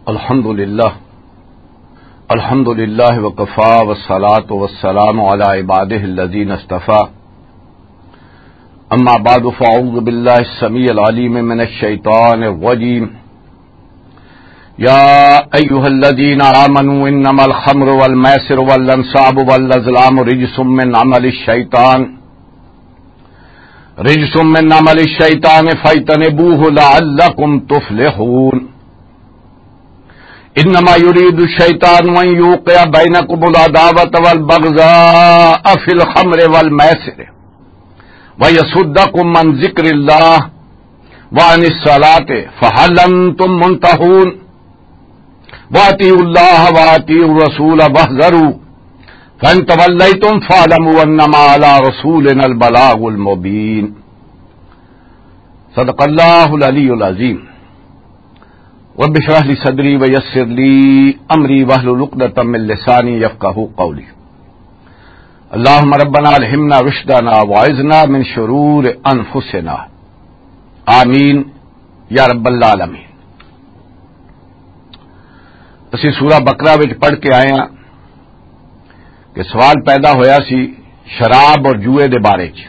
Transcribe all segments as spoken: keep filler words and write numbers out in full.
الحمد لله. الحمد لله وكفى، والصلاة والسلام على عباده الذين اصطفى. أما بعد، فأعوذ بالله السميع العليم من الشيطان الرجيم. يا أيها الذين آمنوا إنما الخمر والميسر والأنصاب والأزلام رجس من عمل الشيطان، رجس من عمل الشيطان فاجتنبوه لعلكم تفلحون. إنما يريد الشيطان أن يوقع بينكم العداوة والبغضاء في الخمر والميسر ويصدكم عن ذكر الله وعن الصلاة فهل أنتم منتهون. وأطيعوا الله وأطيعوا الرسول واحذروا فإن توليتم فاعلموا أنما على رسولنا البلاغ المبين. صدق الله العلي العظيم. رب اشرح لي صدري ويسر لي أمري واحلل عقدة من لساني يفقهوا قولي. اللهم ربنا ألهمنا رشدنا وأعذنا من شرور أنفسنا. آمين يا رب العالمين. اسی سورہ بقرہ وچ پڑھ کے آئے ہاں کہ سوال پیدا ہویا سی شراب اور جوئے دے بارے چ۔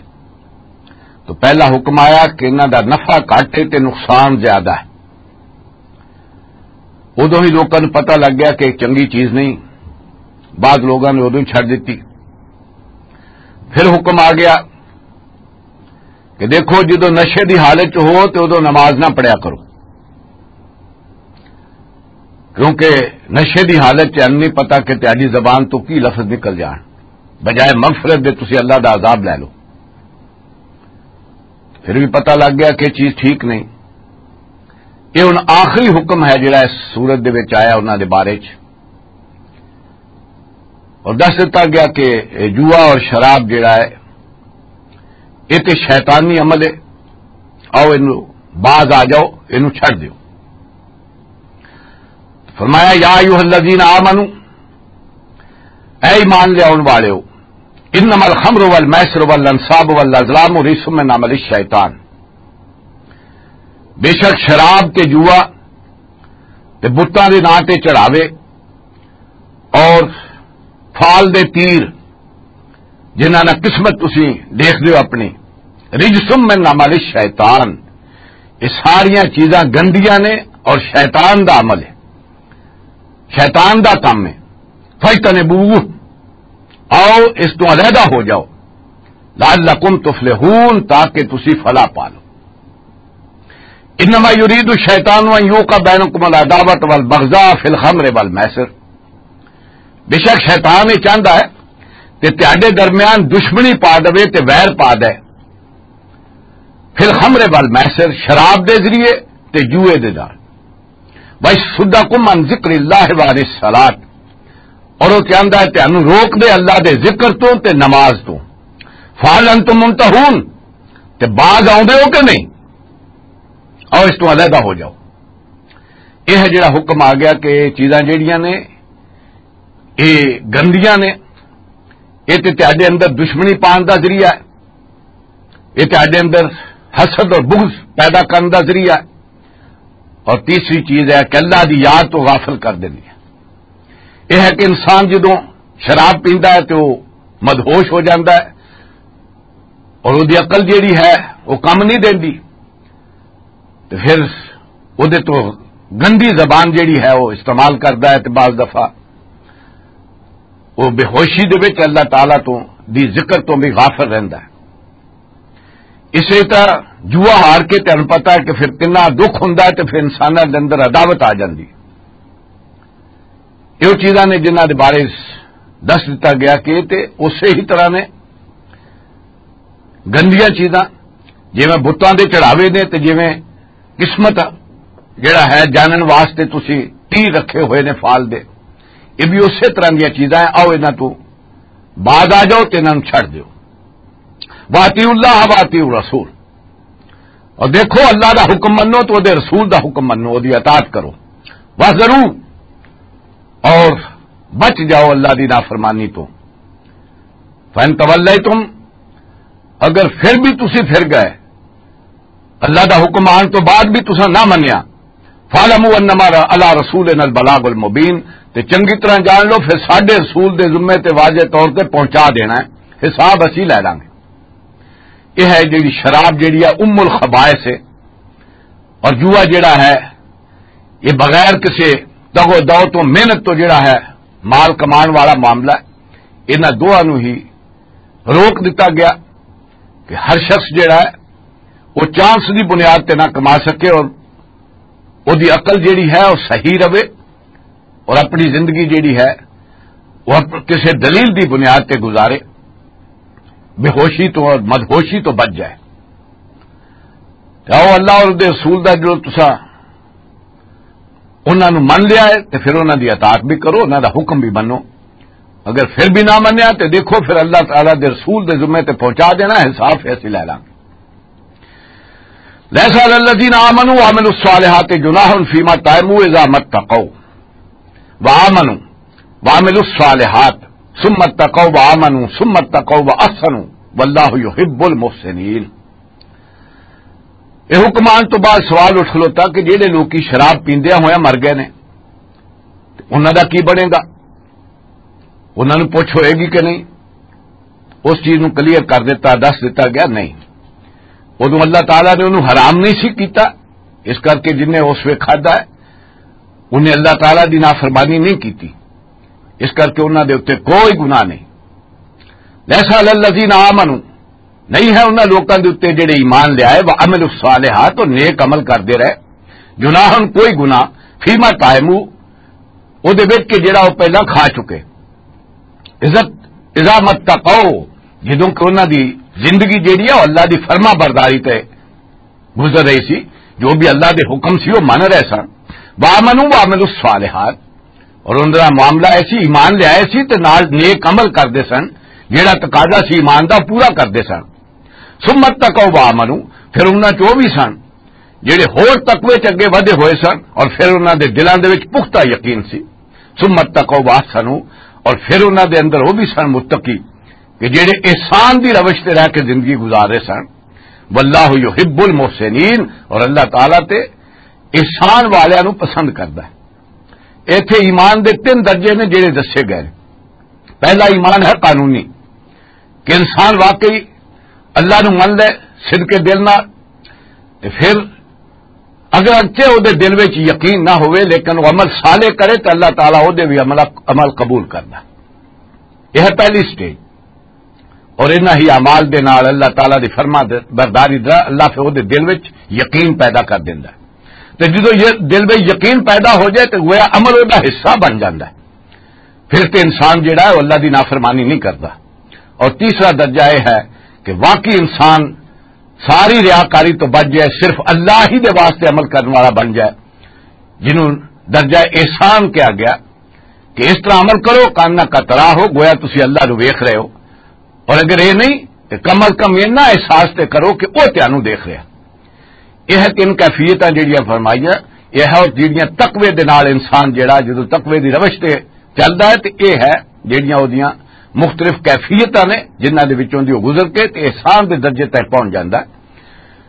تو پہلا حکم آیا کہ انہاں دا نفع گھٹ ہے تے نقصان زیادہ ہے۔ ادوں ہی لوکاں نوں پتہ لگ گیا کہ ایک چنگی چیز نہیں، بعض لوگاں نے ادوں ہی چھڈ دتی۔ پھر حکم آ گیا کہ دیکھو، جدوں نشے دی حالت چ ہو تے ادوں نماز نہ پڑھیا کرو، کیونکہ نشے دی حالت چ نہیں پتہ کہ تہاڈی زبان تو کی لفظ نکل جان، بجائے مغفرت دے تسی اللہ دا عذاب لے لو۔ پھر بھی پتہ لگ گیا کہ چیز ٹھیک نہیں۔ یہ ہن آخری حکم ہے جڑا اس سورت دے وچ آیا انہاں دے بارے چ، اور دس دتا گیا کہ یہ جوا اور شراب جڑا ہے، یہ تے شیطانی عمل ہے۔ آؤ، اینو باز آ جاؤ، اینو چھڈ دیو۔ فرمایا، یا ایھا الذین آمنو، اے ایمان لے آؤن والےو، انما الخمر والمیسر والانصاب والازلام رجس من عمل الشیطان۔ بے شک شراب تے جوا تے بتاں دے ناں تے چڑھاوے اور فال دے تیر، جنہاں نال قسمت تسی دیکھ دیو اپنی، رجس من عمل الشیطان، یہ ساریاں چیزاں گندیاں نے اور شیطان دا عمل ہے، شیطان دا کام ہے۔ فاجتنبوہ، آؤ اس تو علیحدہ ہو جاؤ، لعلکم تفلحون، تاکہ تسی فلاح پا لو۔ انما یرید الشیطان ان یوقع بینکم العداوۃ والبغضاء فی الخمر والمیسر، بے شک شیطان یہ چاہندا ہے کہ تہاڈے درمیان دشمنی پا دے تے ویر پا دے، فی الخمر والمیسر، شراب دے ذریعے تے جوئے دے نال، ویصدکم عن ذکر اللہ وعن الصلاۃ، اور وہ چاہندا ہے تہانوں روک دے اللہ دے ذکر تو تے نماز تو۔ فہل انتم منتہون، تے باز آؤندے ہو کہ نہیں؟ آؤ اس تو علیحدہ ہو جاؤ۔ یہ جڑا حکم آ گیا کہ یہ چیزاں جڑیاں نے، یہ گندیاں نے، یہ تے تہاڈے اندر دشمنی پان دا ذریعہ ہے، یہ تہاڈے اندر حسد اور بغض پیدا کرن دا ذریعہ ہے، اور تیسری چیز ہے کہ اللہ دی یاد تو غافل کر دیندی ہے۔ یہ ہے کہ انسان جدوں شراب پیندا ہے تو وہ مدہوش ہو جاندا ہے، اور وہ دی عقل جیڑی ہے وہ کم نہیں دیندی، تو پھر وہ دے تو گندی زبان جیڑی ہے وہ استعمال کردا ہے، تو بعض دفعہ وہ بے ہوشی دے وچ اللہ تعالیٰ تو دی ذکر تو بھی غافل رہندا ہے۔ اسی طرح جوا ہار کے تہن پتا ہے کہ پھر کنا دکھ ہوندا ہے، تو پھر انساناں دے اندر عداوت آ جاندی۔ یہ چیزاں نے جنہاں دے بارے دس دتا گیا کہ تے اسی ہی طرح نے گندیاں چیزاں، جویں بتاں دے چڑھاوے نے تے جویں قسمت جڑا ہے جانن واسطے تسی تیر رکھے ہوئے نے فال دے، یہ بھی اسی طرح دیاں چیزاں ہیں۔ آؤ انہاں تو باز آ جاؤ تے انہاں نوں چھڈ دیو۔ واطیعوا اللہ واطیعوا الرسول، اور دیکھو اللہ دا حکم منو تو دے رسول دا حکم منو، دی اطاعت کرو۔ واحذروا، اور بچ جاؤ اللہ دی نافرمانی تو۔ فَإِن تَوَلَّيْتُمْ، اگر پھر بھی تسی پھر گئے، اللہ دا حکم آن تو بعد بھی تساں نہ منیا، فَاعْلَمُوا أَنَّمَا عَلَى رَسُولِنَا الْبَلَاغُ الْمُبِينُ۔ تے چنگی طرح جان لو، پھر ساڈے رسول دے ذمے تے واضح طور تے پہنچا دینا ہے، حساب اسی لے لانگے۔ یہ ہے جڑی شراب جڑی ہے، ام الخبائث ہے، اور جوا جڑا ہے، یہ بغیر کسے دغ و دو تو، محنت تو جڑا ہے، مال کمان والا معاملہ ہے۔ انہاں دوہاں نوں ہی روک دتا گیا کہ ہر شخص جڑا ہے، وہ چانس دی بنیاد تے نہ کما سکے، اور وہ دی عقل جڑی ہے، وہ صحیح رہے، اور اپنی زندگی جڑی ہے، وہ اپ-، کسے دلیل دی بنیاد تے گزارے، بے ہوشی تو اور مدہوشی تو بچ جائے۔ تے آؤ، اللہ اور دے رسول دا جو تساں انہاں نوں من لیا ہے، تے پھر انہاں دی اطاعت بھی کرو، انہاں دا حکم بھی منو۔ اگر پھر بھی نہ منیا، تے دیکھو، پھر اللہ تعالیٰ دے رسول دے ذمے تے پہنچا دینا، حساب فیصلے لے لانگے۔ ليس على الذين آمنوا وعملوا الصالحات جناح فيما طعموا إذا ما اتقوا وآمنوا وعملوا الصالحات ثم اتقوا وآمنوا ثم اتقوا وأحسنوا والله يحب المحسنين۔ یہ حکم آن تو بعد سوال اٹھ کھلوتا کہ جہڑے لوکی شراب پیندیاں ہویا مر گئے نے، تے انہاں دا کی بنے گا؟ انہاں نوں پوچھ ہوئے گی کہ نہیں؟ اس چیز نوں کلیئر کر دیتا، دس دیتا گیا نہیں۔ ادوں اللہ تعالیٰ نے انہوں حرام نہیں سی کیتا، اس کر کے جن نے اس ویلے کھادا ہے، انہیں اللہ تعالیٰ دی نافرمانی نہیں کیتی، اس کر کے انہاں دے اُتے کوئی گناہ نہیں۔ لیسا علی الذین آمنوا، نہیں ہے انہاں لوکاں دے اُتے جڑے ایمان لے آئے، وعملوا الصالحات، اور نیک عمل کردے رہے، جناحن، کوئی گناہ، فیما طعموا، او دے وچ کہ جڑا او پہلا کھا چکے۔ عزت، اذا متقوا، جدوں کہ انہاں دی زندگی جڑی ہے، او اللہ دی فرما برداری تے گزر رہی سی، جو بھی اللہ دے حکم سی، وہ من رہے سن۔ وآمنوا وعملوا الصالحات، اور انہاں دا معاملہ ایسی ایمان لے آئے سی تے نال نیک عمل کردے سن، جڑا تقاضا سی ایمان دا، پورا کردے سن۔ ثم اتقوا وآمنوا، پھر انہاں چ وہ بھی سن جڑے ہور تقوی چ اگے ودھے ہوئے سن، اور پھر انہاں دے دلاں دے وچ پختہ یقین سی۔ ثم اتقوا واحسنوا، اور پھر انہاں دے اندر وہ بھی سن متقی کہ جڑے احسان دی روش تے رہ کے زندگی گزار رہے سن۔ واللہ یحب المحسنین، اور اللہ تعالیٰ تے احسان والیاں نوں پسند کردا ہے۔ ایتھے ایمان دے تین درجے نے جڑے دسے گئے۔ پہلا ایمان ہے قانونی، کہ انسان واقعی اللہ نوں من لے صدق دل نال، تے پھر اگر اگچے او دے دل وچ یقین نہ ہوئے، لیکن وہ عمل صالح کرے، تو اللہ تعالیٰ او دے بھی عمل، عمل قبول کرنا۔ یہ ہے پہلی سٹیج۔ اور انہاں ہی اعمال دے نال اللہ تعالیٰ دی فرما دے، برداری دا اللہ پھر او دے دل وچ یقین پیدا کر دیندا ہے۔ تے جدوں یہ دل وچ یقین پیدا ہو جائے، تو گویا عمل او دا حصہ بن جاندا ہے۔ پھر تے انسان جڑا ہے، وہ اللہ دی نافرمانی نہیں کردا۔ اور تیسرا درجہ یہ ہے کہ واقعی انسان ساری ریاکاری تو بچ جائے، صرف اللہ ہی دے واسطے عمل کرنے والا بن جائے، جنہوں درجہ احسان کہا گیا کہ اس طرح عمل کرو، کاننا کا طرح ہو، گویا تسی اللہ نو ویکھ رہے ہو۔ اور اگر یہ نہیں، تو کم از کم اتنا احساس تے کرو کہ وہ تانوں دیکھ رہا۔ یہ ہے تین کیفیتاں جڑیاں فرمائیاں، یہ ہے اور جڑیاں تقوی دے نال انسان جڑا جدوں تقوی دی روش تے چلدا ہے، تے یہ ہے جڑیاں اودیاں مختلف کیفیتاں نے، جنہاں دے وچوں دی وہ گزر کے تے احسان دے درجے تک پہنچ جاندا ہے۔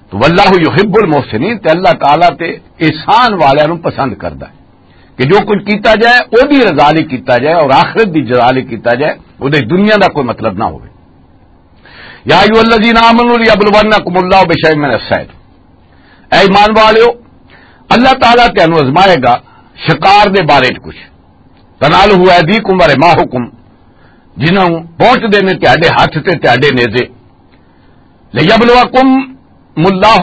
تو واللہ یحب المحسنین، تے اللہ تعالیٰ تے احسان والیاں نوں پسند کردا ہے کہ جو کچھ کیتا جائے، او دی رضا لئی کیتا جائے اور آخرت دی رضا لئی کیتا جائے، او دی دنیا دا کوئی مطلب نہ ہوئے۔ یا ایھا الذین آمنوا لیبلونکم اللہ بشیء من الصید۔ اے ایمان والیو، اللہ تعالیٰ تانوں آزمائے گا شکار دے بارے چ کچھ۔ تنالہ ایدیکم ورماحکم، جنہاں پہنچ دے نے تہاڈے ہاتھ تے تہاڈے نیزے۔ لیبلوکم اللہ،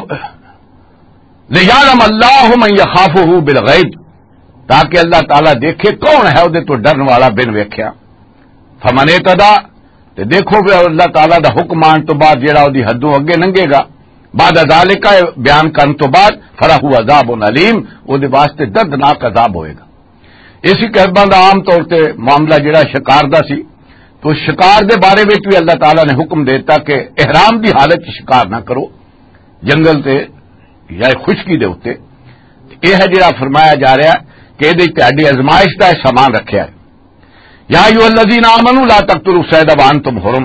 لیعلم اللہ من یخافہ بالغیب، تاکہ اللہ تعالیٰ دیکھے کون ہے اودے تو ڈرن والا بن ویکھیا۔ فمن اعتدی، تے دیکھو پھر اللہ تعالیٰ دا حکم آن تو بعد جیڑا اودی حدوں اگے لنگے گا، بعد ذالک، بیان کرن تو بعد، فلہ عذاب الیم، اودے واسطے دردناک عذاب ہوئے گا۔ اسی قسماں دا عام طور تے معاملہ جڑا شکار دا سی، تو شکار دے بارے وچ بھی اللہ تعالیٰ نے حکم دیتا کہ احرام دی حالت چ شکار نہ کرو، جنگل تے یا خشکی دے اُتے۔ یہ ہے جڑا فرمایا جا رہا کہ یہ تہاڈی آزمائش دا سامان رکھیا ہے۔ یا ایھا الذین آمنوا لا تقتلوا الصید وانتم حرم،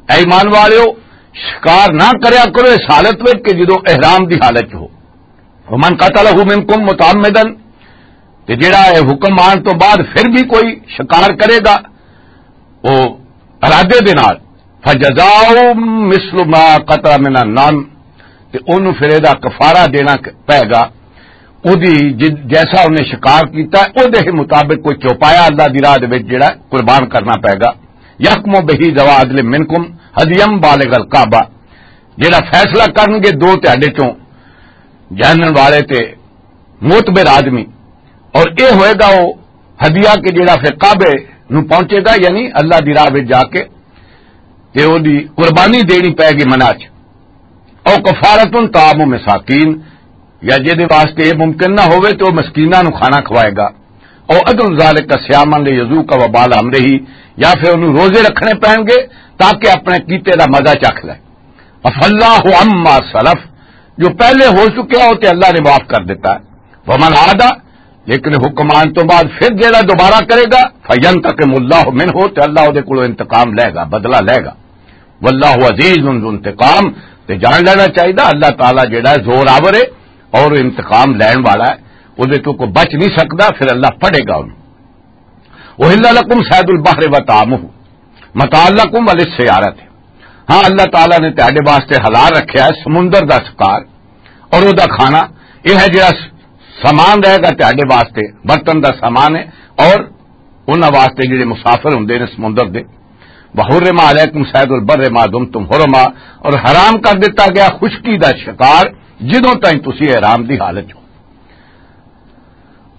اے ایمان والیو، شکار نہ کریا کرو اس حالت وچ کہ جدوں احرام دی حالت چ ہو۔ ومن قتله منکم متعمدا، تے جڑا اے حکم آن تو بعد پھر بھی کوئی شکار کرے گا، او ارادے دے نال، فجزاؤ مثل ما قتل من النعم، تے اونوں پھر اے دا کفارہ دینا پے گا۔ او دی جد-، جیسا انہیں شکار کیتا ہے، او دے مطابق کوئی چوپایا اللہ دی راہ دے وچ جڑا قربان کرنا پے گا۔ یحکم بہ ذوا عدل منکم ہدیم بالغ الکعبہ، جڑا فیصلہ کرن گے دو تہاڈے چوں جانن والے تے معتبر آدمی، اور اے ہوئے گا وہ ہدیہ کہ جڑا پھر کعبے نو پہنچے گا، یعنی اللہ دی راہ وچ جا کے تے او دی قربانی دینی پے گی منا چ۔ او کفارتن طعام مساکین، یا جے دے واسطے اے ممکن نہ ہوئے تے او مسکیناں نو کھانا کھوائے گا۔ او عدل ذالک صیاما لیذوق وبال امرہ، یا پھر انہوں روزے رکھنے پین گے تاکہ اپنے کیتے دا مزہ چکھ لے۔ عفا اللہ عما سلف، جو پہلے ہو چکیا ہو تے اللہ نے معاف کر دیتا ہے۔ ومن عاد، لیکن حکمان تو بعد پھر جیڑا دوبارہ کرے گا، فینتقم اللہ منہ، تے اللہ دے کولوں انتقام لے گا، بدلہ لے گا۔ واللہ عزیز ذو انتقام، تے جان لینا چاہیے اللہ تعالیٰ جیڑا ہے زور آور ہے اور انتقام لین والا ہے، او دے تو کوئی بچ نہیں سکدا، پھر اللہ پڑے گا انہوں۔ احل لکم صید البحر و طعامہ متاع لکم وللسیارۃ۔ ہاں، اللہ تعالیٰ نے تہاڈے واسطے حلال رکھیا ہے سمندر دا شکار اور او دا کھانا۔ یہ ہے جڑا سامان رہے گا تہاڈے واسطے، برتن دا سامان ہے، اور انہاں واسطے جڑے مسافر ہوندے نے سمندر دے۔ وحرم علیکم صید البر ما دمتم حرما، اور حرام کر دیتا گیا خشکی دا شکار جدوں تائیں تسی احرام دی حالت ہو۔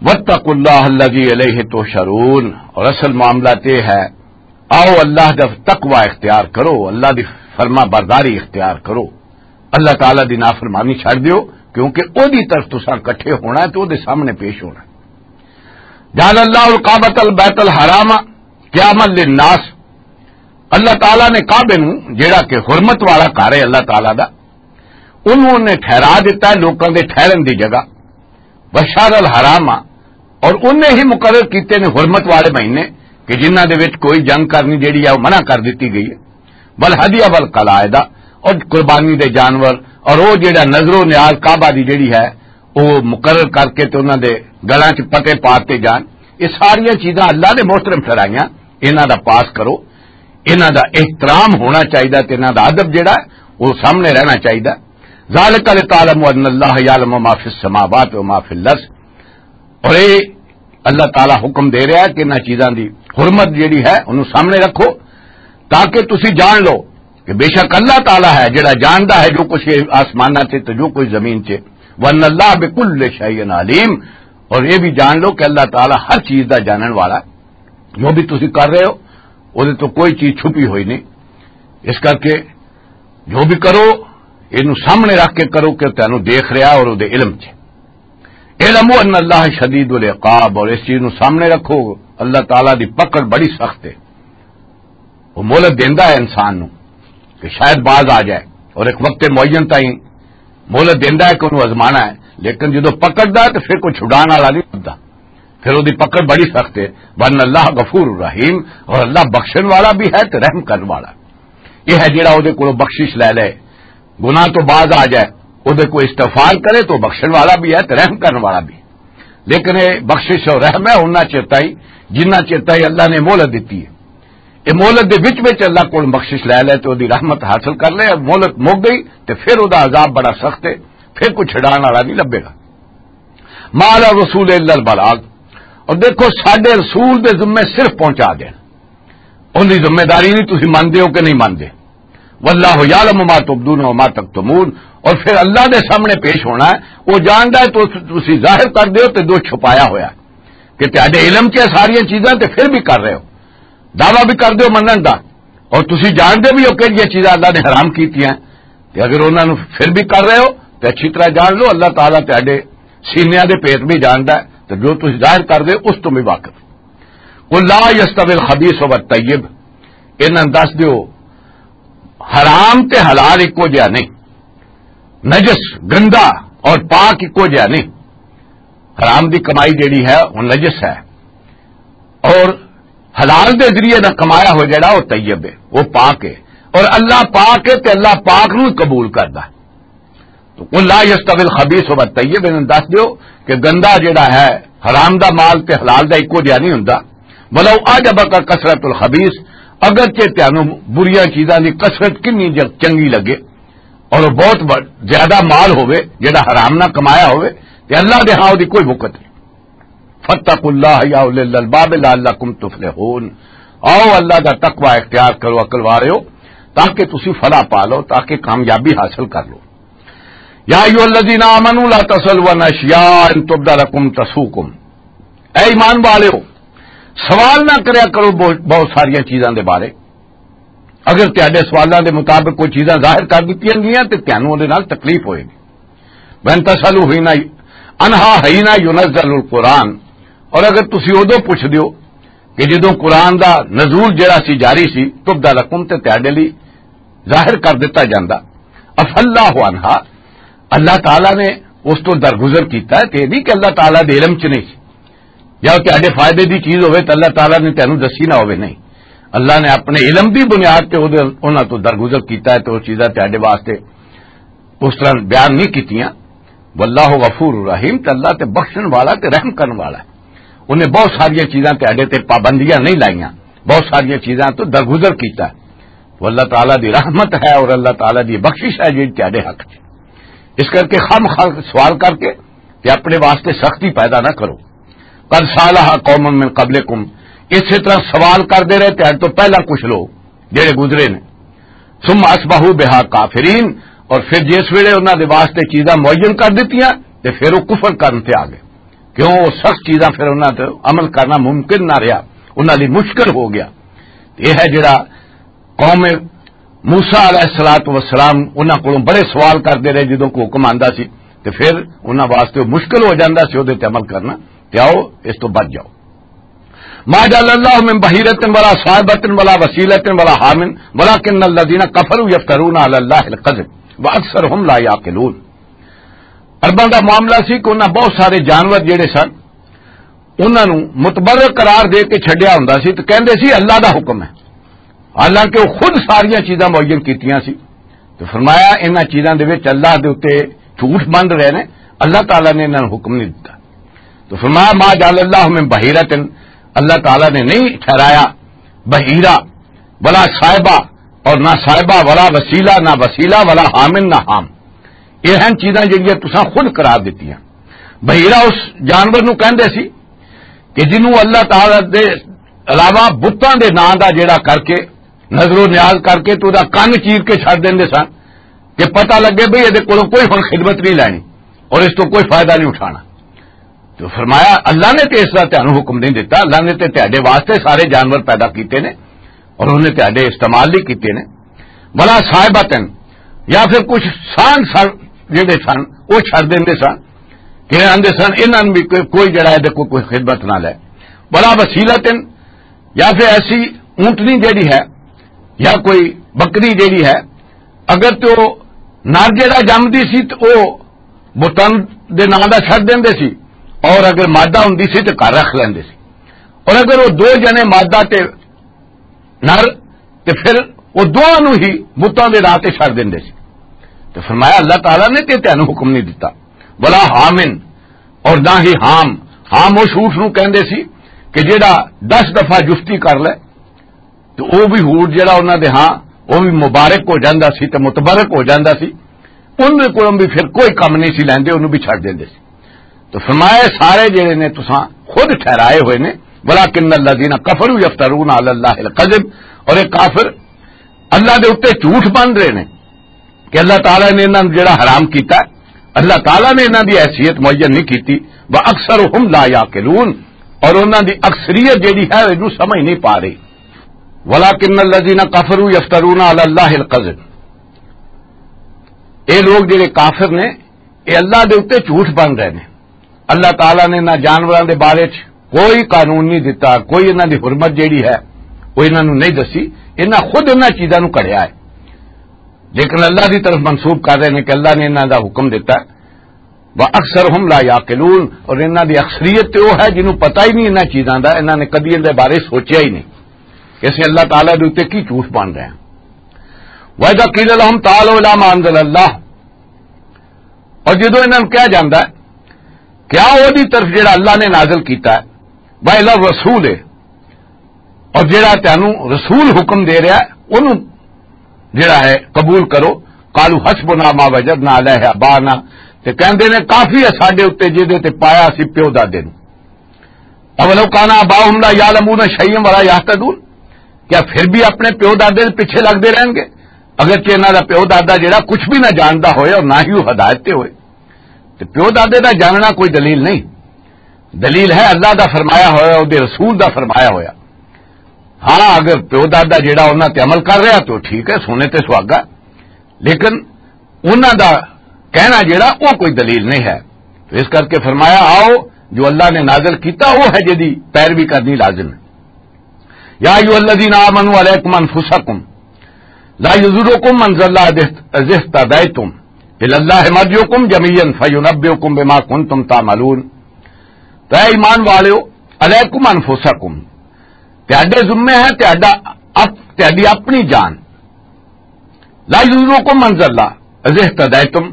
واتقوا اللہ الذی الیہ تحشرون، اور اصل معاملہ تے ہے، آؤ اللہ دا تقوی اختیار کرو، اللہ دی فرما برداری اختیار کرو، اللہ تعالیٰ دی نافرمانی چھڑ دیو، کیونکہ او دی طرف تساں کٹھے ہونا ہے تے او دے سامنے پیش ہونا ہے۔ جعل اللہ الکعبۃ البیت الحرام قیاما للناس، اللہ تعالیٰ نے کعبے نو جڑا کہ حرمت والا گھر ہے اللہ تعالیٰ دا، انہوں نے ٹھہرا دیتا ہے لوکاں دے ٹھہرن دی جگہ۔ وشہر الحرام، اور انہیں ہی مقرر کیتے نے حرمت والے مہینے کہ جنہاں دے وچ کوئی جنگ کرنی جیڑی ہے وہ منع کر دتی گئی ہے۔ والہدی والقلائد، اور قربانی دے جانور، اور وہ جیڑا نظر و نیاز کعبہ دی جیڑی ہے وہ مقرر کر کے تے انہاں دے گلاں چ پتے پاتے جان۔ یہ ساریاں چیزاں اللہ نے محترم ٹھہرائیاں، انہاں دا پاس کرو، انہاں دا احترام ہونا چاہیدا تے انہاں دا ادب جیڑا ہے وہ سامنے رہنا چاہیدا۔ ذالک لتعلموا ان اللہ یعلم ما فی السماوات و ما فی الارض، اور یہ اللہ تعالیٰ حکم دے رہا ہے کہ انہاں چیزاں دی حرمت جیڑی ہے انہوں سامنے رکھو، تاکہ تسی جان لو کہ بے شک اللہ تعالیٰ ہے جڑا جاندا ہے جو کچھ یہ آسماناں چ تے جو کچھ زمین چ۔ وان اللہ بکل شیء علیم، اور یہ بھی جان لو کہ اللہ تعالیٰ ہر چیز دا جانن والا ہے۔ جو بھی تسی کر رہے ہو، وہ تو کوئی چیز چھپی ہوئی نہیں۔ اس کر کے جو بھی کرو، یہ سامنے رکھ کے کرو کہ تینوں دیکھ رہا اور وہ علم چ۔ اعلموا ان اللہ شدید العقاب، اور اس چیز نو سامنے رکھو، اللہ تعالیٰ دی پکڑ بڑی سخت ہے۔ وہ مہلت دیندا ہے انسان نو کہ شاید باز آ جائے، اور ایک وقت معین تائیں مہلت دیندا ہے کہ انہوں آزمانا ہے، لیکن جدوں پکڑدا ہے تو پھر کوئی چھڈان والا نہیں لبدا، پھر وہ دی پکڑ بڑی سخت ہے۔ وان اللہ غفور الرحیم، اور اللہ بخشن والا بھی ہے تے رحم کرن والا۔ یہ ہے جڑا وہ دے کولوں بخشش لے لے، گناہ تو باز آ جائے، وہ دے کو استغفار کرے تو بخشن والا بھی ہے تے رحم کرن والا بھی۔ لیکن یہ بخشش اور رحم ہے انہاں چرتا ہی جنہاں چرتا ہی اللہ نے مہلت دیتی ہے۔ یہ مہلت دے وچ وچ اللہ کول بخشش لے لے تے وہ دی رحمت حاصل کر لے، مہلت مک گئی تے پھر وہ دا عذاب بڑا سخت ہے، پھر کوئی چھڑان والا نہیں لبے گا۔ ما علی الرسول الا البلاغ، اور دیکھو ساڈے رسول دے ذمے صرف پہنچا دین، ان دی ذمہ داری نہیں، تسی مندے ہو کہ نہیں مندے۔ واللہ یعلم ما تبدون و ما تکتمون، اور پھر اللہ دے سامنے پیش ہونا ہے، وہ جاندا ہے تو تسی ظاہر کر دیو تے جو چھپایا ہویا ہے، کہ تہاڈے علم چ ساریاں چیزاں تے پھر بھی کر رہے ہو، دعویٰ بھی کر دیو منن دا، اور تسی جانتے بھی ہو کہ یہ چیزاں اللہ نے حرام کیتی ہیں، تے اگر انہاں نو پھر بھی کر رہے ہو تے اچھی طرح جان لو اللہ تعالیٰ تہاڈے سینیاں دے پیٹ بھی جاندا ہے، تے جو تسی ظاہر کر دے اس تو بھی واقف۔ قل لا یستوی الخبیث والطیب، انہاں نوں دس دیو، حرام تے حلال اکو جہا نہیں، نجس، گندا اور پاک اکو جہا نہیں۔ حرام دی کمائی جیڑی ہے وہ نجس ہے، اور حلال دے ذریعے دا کمایا ہوا جڑا وہ طیب ہے، وہ پاک ہے، اور اللہ پاک ہے تے اللہ پاک نو قبول کردا ہے۔ تو قل لا یستوی الخبیث والطیب، انہاں دس دیو کہ گندا جڑا ہے، حرام دا مال تے حلال دا اکو جہا نہیں ہوندا۔ ولو اعجبک کثرت الخبیث، اگرچہ تانوں بریاں چیزاں دی کثرت کنی ج-، چنگی لگے، اور وہ بہت ب-، زیادہ مال ہوئے جڑا حرام نہ کمایا ہوئے، تے اللہ دے ہاں دی کوئی وقت نہیں۔ فاتقوا اللہ یا اولی الالباب لعلکم تفلحون۔ آؤ اللہ دا تقوی اختیار کرو، عقل والےو، تاکہ تسی فلاح پا لو، تاکہ کامیابی حاصل کر لو۔ یا ایھا الذین آمنوا لا تسألوا عن اشیاء ان تبد لکم تسؤکم۔ اے ایمان والےو، سوال نہ کریا کرو بہت، بہت ساریاں چیزاں دے بارے۔ اگر تہاڈے سوالاں دے مطابق کوئی چیزاں ظاہر کر دتیاں گئیاں تے تہانوں اودے نال تکلیف ہوئے گی۔ وَإِن تَسْأَلُوا حِينَ، عَنْهَا حِينَ يُنَزَّلُ الْقُرْآنُ، اور اگر تسی اودوں پوچھ دیو کہ جدوں قرآن دا نزول جڑا سی جاری سی، تبد لکم، تے تہاڈے لئی ظاہر کر دتا جاندا۔ عفا اللہ عنہا، اللہ تعالیٰ نے اس تو درگزر کیتا ہے، تے یہ نہیں کہ اللہ تعالیٰ دے علم چ نہیں سی، یا وہ تہاڈے فائدے دی چیز ہوئے تو اللہ تعالیٰ نے تینوں دسی نہ ہوئے، نہیں۔ اللہ نے اپنے علم دی بنیاد تے اودے، انہاں تو درگزر کیتا ہے، تے وہ چیزاں تہاڈے واسطے اس طرح بیان نہیں کیتیاں۔ واللہ غفور رحیم، تے اللہ تے بخشن والا تے رحم کرن والا ہے۔ انہیں بہت ساریاں چیزاں تہاڈے تے پابندیاں نہیں لائیاں، بہت ساریاں چیزاں تو درگزر کیتا ہے۔ وہ اللہ تعالیٰ دی رحمت ہے اور اللہ تعالیٰ دی بخشش ہے جڑی تہاڈے حق چ۔ اس کر کے خام خواہ سوال کر کے تے اپنے واسطے سختی پیدا نہ کرو۔ قد سالہ قوم من قبلکم، اسی طرح سوال کردے رہے تہاڈے تو پہلا کچھ لوگ جڑے گزرے نے۔ ثم اصبحوا بها کافرین، اور پھر جس ویلے انہاں دے واسطے چیزاں معین کر دتیاں تے پھر وہ کفر کرن تے آ گئے، کیوں وہ سخت چیزاں پھر انہاں تے عمل کرنا ممکن نہ رہیا، انہاں لئی مشکل ہو گیا۔ یہ ہے جڑا قوم موسیٰ علیہ الصلوۃ والسلام، انہاں کولوں بڑے سوال کردے رہے جدوں کوئی حکم آندا سی، تے پھر انہاں واسطے وہ مشکل ہو جاندا سی اودے تے عمل کرنا۔ تے آؤ، اس تو بچ جاؤ۔ ما جعل اللہ من بحیرۃ ولا صائبۃ ولا وسیلۃ ولا حام ولکن الذین کفروا یفترون علی اللہ الکذب واکثرهم لا یعقلون۔ عرباں دا معاملہ سی کہ انہاں بہت سارے جانور جڑے سن، انہاں نوں متبرک قرار دے کے چھڈیا ہوندا سی تے کہندے سی اللہ دا حکم ہے، حالانکہ وہ خود ساریاں چیزاں معین کیتیاں سی۔ تو فرمایا، انہاں چیزاں دے وچ اللہ دے اُتے جھوٹ بند رہے نے، اللہ تعالیٰ نے انہاں نوں حکم نہیں دتا۔ تو فرمایا، ما جعل اللہ من بحیرۃ، اللہ تعالیٰ نے نہیں ٹھہرایا بحیرہ، ولا صاحبہ، اور نہ صاحبہ، ولا وسیلہ، نہ وسیلہ، ولا حامن، نہ حام۔ یہ ہیں چیزاں جڑیاں تساں خود قرار دتیاں۔ بحیرہ اس جانور نوں کہندے سی کہ جنوں اللہ تعالیٰ دے علاوہ بتاں دے ناں دا جڑا کر کے، نظر و نیاز کر کے تو دا کن چیر کے چھڈ دیندے سن کہ پتہ لگے بھئی یہ کولوں کوئی ہن خدمت نہیں لینی اور اس تو کوئی فائدہ نہیں اٹھانا۔ تو فرمایا، اللہ نے تے اس دا تہانوں حکم نہیں دیتا، اللہ نے تے تہاڈے واسطے سارے جانور پیدا کیتے نے اور انہیں تہاڈے استعمال نہیں کیتے نے۔ ولا صاحبتن، یا پھر کچھ سانگ سن جڑے سن، وہ چھڈ دیندے سن کہ آندے سن، انہاں نوں بھی کوئی، کوئی جڑا ہے، کوئی، کوئی خدمت نہ لے۔ ولا وسیلتن، یا پھر ایسی اونٹنی جڑی ہے یا کوئی بکری جڑی ہے، اگر تے او نر جڑا جمدی سی تے او بتن دے ناں دا چھڈ دیندے سی، اور اگر مادہ ہوندی سی تے گھر رکھ لیندے سی، اور اگر وہ دو جنے مادہ تے نر، تے پھر وہ دوواں نوں ہی بتاں دے راہ تے چھڈ دیندے سی۔ تے فرمایا، اللہ تعالیٰ نے تے تینوں حکم نہیں دتا۔ ولا حامن، اور نہ ہی حام۔ حام اس اونٹ نوں کہندے سی کہ جیڑا دس دفعہ جفتی کر لے، تو او بھی اونٹ جیڑا انہاں دے ہاں، او بھی مبارک ہو جاندا سی تے متبرک ہو جاندا سی۔ ان دے کولوں بھی پھر کوئی کم نہیں سی لیندے، انہوں بھی چھڈ دیندے سی۔ تو فرمایا، سارے جڑے نے تساں خود ٹھہرائے ہوئے نے، ولکن الذین کفروا یفترون علی اللہ الکذب، اور یہ کافر اللہ دے اوتے جھوٹ بن رہے نے کہ اللہ تعالیٰ نے انہاں نوں جڑا حرام کیتا ہے، اللہ تعالیٰ نے انہاں دی حیثیت معین نہیں کیتی۔ واکثرهم لا یعقلون، اور انہاں دی اکثریت جڑی ہے، اینوں سمجھ نہیں پا رہی۔ ولکن الذین کفروا یفترون علی اللہ الکذب، اے لوگ جڑے کافر نے، اے اللہ دے اوتے جھوٹ بن رہے نے۔ اللہ تعالیٰ نے انہاں جانوراں دے بارے چ کوئی قانون نہیں دتا، کوئی انہاں دی حرمت جیڑی ہے، وہ انہاں نوں نہیں دسی۔ انہاں خود انہاں چیزاں نوں کڑھیا ہے، لیکن اللہ دی طرف منسوب کر رہے نے کہ اللہ نے انہاں دا حکم دتا ہے۔ واکثرهم لا یعقلون، اور انہاں دی اکثریت تے وہ ہے جنہوں پتہ ہی نہیں انہاں چیزاں دا، انہاں نے کدی ان دے بارے سوچیا ہی نہیں کہ اسیں اللہ تعالیٰ دے اوتے کی جھوٹ بن رہے ہیں۔ وَإِذَا قِيلَ لَهُمْ تَعَالَوْا إِلَىٰ مَا أَنزَلَ اللَّهُ، اور جدوں انہاں نوں کہا جاندا ہے کہ آؤ، اودی طرف جڑا اللہ نے نازل کیتا ہے، وَإِلَى الرَّسُولِ، اور جڑا تینوں رسول حکم دے رہا ہے، انہوں جڑا ہے قبول کرو۔ قَالُوا حَسْبُنَا مَا وَجَدْنَا عَلَيْهِ آبَاءَنَا، تے کہندے نے، کافی ہے ساڈے اُتے جہدے تے پایا سی پیو دادے نوں۔ اولو کان آباؤہم لا یعلمون شیئا ولا یہتدون، کیا پھر بھی اپنے پیو دادے دے پیچھے لگدے رہن گے، اگرچہ انہاں دا پیو دادا جڑا کچھ بھی نہ جاندا ہوئے اور نہ ہی وہ ہدایت تے ہوئے؟ تے پیو دادے دا جاننا کوئی دلیل نہیں۔ دلیل ہے اللہ دا فرمایا ہویا، اودے رسول دا فرمایا ہویا۔ ہاں، اگر پیو دادا جڑا انہاں تے عمل کر رہا تو ٹھیک ہے، سونے تے سہاگا، لیکن انہاں دا کہنا جڑا، وہ کوئی دلیل نہیں ہے۔ تو اس کر کے فرمایا، آؤ، جو اللہ نے نازل کیتا، وہ ہے جدی پیروی کرنی لازم ہے۔ یا ایھا الذین آمنوا علیکم انفسکم لا یضرکم من ضل اذا اہتدیتم الی اللہ مرجعکم جمیعا فینبئکم بما کنتم تعملون۔ تو اے ایمان والو، علیکم انفسکم، تہاڈے ذمے ہے تہاڈا اپ-، تہاڈی اپنی جان۔ لا یضرکم من ضل اذا اہتدیتم،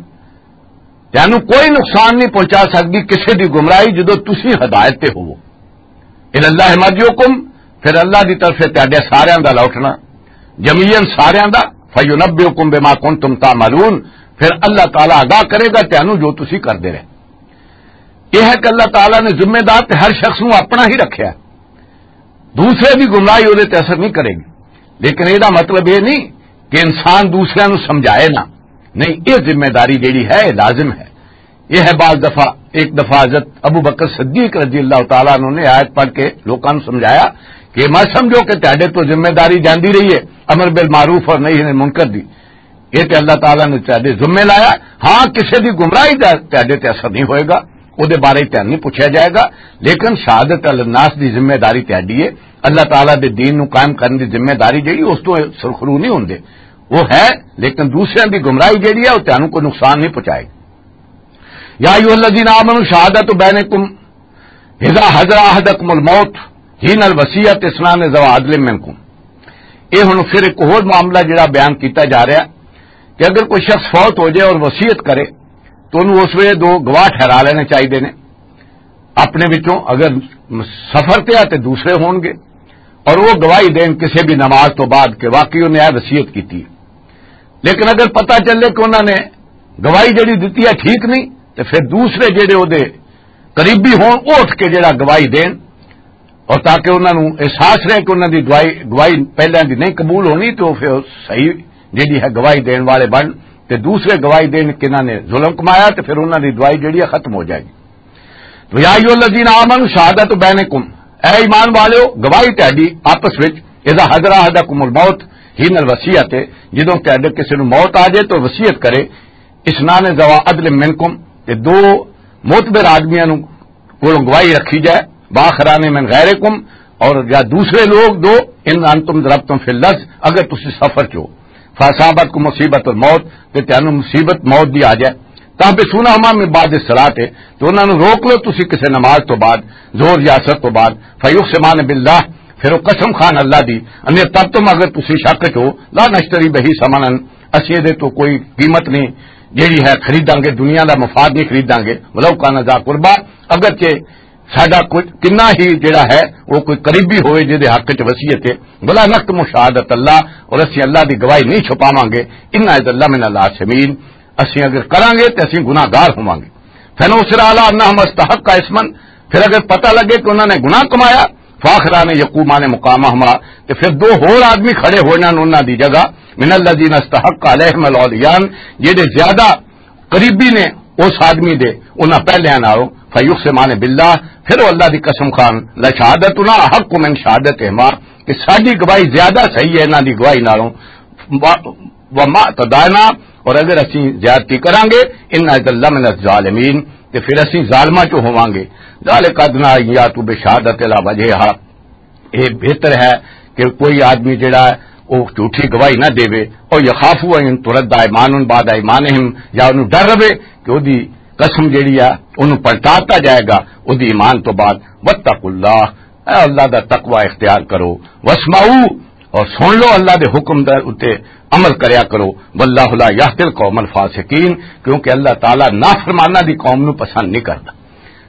تینوں کوئی نقصان نہیں پہنچا سکدی کسے دی گمراہی جدوں تسی ہدایت تے ہوو۔ الی اللہ مرجعکم، پھر اللہ دی طرف سے تہاڈے ساریاں دا لوٹنا، جمیعا ساریاں دا، فینبئکم بما کنتم تعملون، پھر اللہ تعالیٰ آگاہ کرے گا تینوں جو تسی کردے رہے۔ یہ ہے کہ اللہ تعالیٰ نے ذمہ دار تے ہر شخص نوں اپنا ہی رکھیا ہے۔ دوسرے دی گمراہی اودے تے اثر نہیں کرے گی، لیکن یہ مطلب یہ نہیں کہ انسان دوسرے نوں سمجھائے نہ۔ نہیں، یہ ذمہ داری جیڑی ہے، یہ لازم ہے۔ یہ ہے بعض دفعہ، ایک دفعہ حضرت ابو بکر صدیق رضی اللہ تعالیٰ عنہ نے آیت پڑھ کے لوکاں نوں سمجھایا کہ مت سمجھو کہ تہاڈے تو ذمہ داری جاندی رہی ہے امر بالمعروف اور نہی عن المنکر دی۔ یہ تے اللہ تعالیٰ نے تہاڈے ذمے لایا۔ ہاں، کسے دی گمراہی دا تہاڈے تے اثر نہیں ہوئے گا، او دے بارے تے نہیں پوچھا جائے گا، لیکن شہادت الناس دی ذمہ داری تہاڈی ہے۔ اللہ تعالیٰ دے دین نو قائم کرن دی ذمہ داری جڑی، اس تو سرخرو نہیں ہوندے، وہ ہے، لیکن دوسرے دی گمراہی جڑی ہے، وہ تہانوں کوئی نقصان نہیں پہنچائے گی۔ یا ایھا الذین آمنوا شہادت بینکم اذا حضر احدکم الموت حین الوصیت اثنان ذوا عدل منکم۔ یہ ہن پھر ایک ہور معاملہ جڑا بیان کیتا جا رہا ہے کہ اگر کوئی شخص فوت ہو جائے اور وصیت کرے تو انہوں اس ویلے دو گواہ ٹھہرا لینے چاہیے نے اپنے وچوں، اگر سفر تے آ تے دوسرے ہون گے، اور وہ گواہی دین کسی بھی نماز تو بعد کہ واقعی انہیں یہ وصیت کی تھی۔ لیکن اگر پتہ چلے کہ انہوں نے گواہی جڑی دتی ہے ٹھیک نہیں، تو پھر دوسرے جڑے وہ دے قریبی ہون، وہ اٹھ کے جڑا گواہی دین، اور تاکہ انہاں نوں احساس رہے کہ انہاں دی دعائی، گواہی پہلیاں دی نہیں قبول ہونی، تو پھر صحیح جڑی ہے گواہی دین والے بن، تے دوسرے گواہی دین کہ انہاں نے ظلم کمایا، تے پھر انہاں دی دعائی جڑی ہے ختم ہو جائے گی۔ تو یا ایھا الذین آمنوا شہادت بینکم، اے ایمان والو، گواہی تہاڈی آپس وچ، اذا حضر احدکم الموت حین الوصیت، جدوں تہاڈے کسی نوں موت آ جائے تو وصیت کرے، اثنان ذوا عدل منکم، تے دو معتبر آدمیاں نوں کولوں گواہی رکھی جائے، واخران من غیرکم، اور یا دوسرے لوگ دو، ان انتم ضربتم فی الارض، اگر تسی سفر چ ہو، فاصابتکم مصیبت الموت، تے تانوں مصیبت موت دی آ جائے، تحبسونہما من بعد الصلاۃ، تو انہاں نوں روک لو تسی کسے نماز تو بعد، ظہر یا عصر تو بعد، فیقسمان باللہ، پھر وہ قسم خان اللہ دی، ان ارتبتم، اگر تسی شک چ ہو، لا نشتری بہ ثمنا، اسی دے تو کوئی قیمت نہیں جیڑی ہے خریداں گے، دنیا دا مفاد نہیں خریداں گے، ولو کان ذا قربا، اگرچہ ساڈا کچھ کنا ہی جڑا ہے وہ کوئی قریبی ہوئے جے دے حق چ وصیت ہے، ولا نکتم شہادت اللہ، اور اسی اللہ دی گواہی نہیں چھپاواں گے، ان اذا لمن الآثمین، اسی اگر کراں گے تے اسی گناہ گار ہوواں گے۔ فن اسر علی انہم استحق اسمن، پھر اگر پتہ لگے کہ انہوں نے گناہ کمایا، فاخران یقومان مقامہما، تے پھر دو ہور آدمی کھڑے ہوئے نن انہاں دی جگہ، من الذین استحق علیہم الاولیان، جڑے زیادہ قریبی نے اس آدمی دے انہاں پہلیاں نالوں، فیقسمان باللہ، پھر وہ اللہ دی قسم کھان، لشہادتنا احق من شہادتہما، کہ ساڈی گواہی زیادہ صحیح ہے انہاں دی گواہی نالوں، و-، وما اعتدینا، اور اگر اسی زیادتی کراں گے، ان اذا لمن الظالمین، تے پھر اسی ظالماں چوں ہوواں گے۔ ذالک ادنی ان یاتوا بشہادت علی وجہہا، یہ بہتر ہے کہ کوئی آدمی جڑا ہے وہ جھوٹی گواہی نہ دے، اور یخافوا ان ترد ایمان بعد ایمانہم، یا انہوں ڈر رہے کہ وہ دی قسم جڑی ہے انہوں پلٹاتا جائے گا وہ دی ایمان تو بعد۔ واتقوا اللہ، اے اللہ دا تقوی اختیار کرو۔ واسمعوا، اور سن لو اللہ دے حکم دے اتے عمل کریا کرو۔ واللہ لا یہدی القوم الفاسقین، کیونکہ اللہ تعالیٰ نافرمانہ دی قوم نو پسند نہیں کردا۔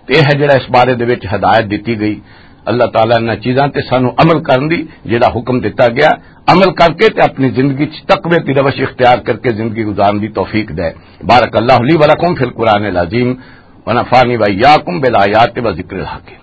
تے یہ ہے جڑا اس بارے دے وچ ہدایت دتی گئی۔ اللہ تعالیٰ انہاں چیزاں تے سانو عمل کرن دی جڑا حکم دتا گیا، عمل کر کے تے اپنی زندگی چ تقوی دی روش اختیار کر کے زندگی گزارن دی توفیق دے۔ بارک اللہ لی ولکم فی القرآن العظیم، ونفعنی و ایاکم بالآیات و ذکر الحکیم۔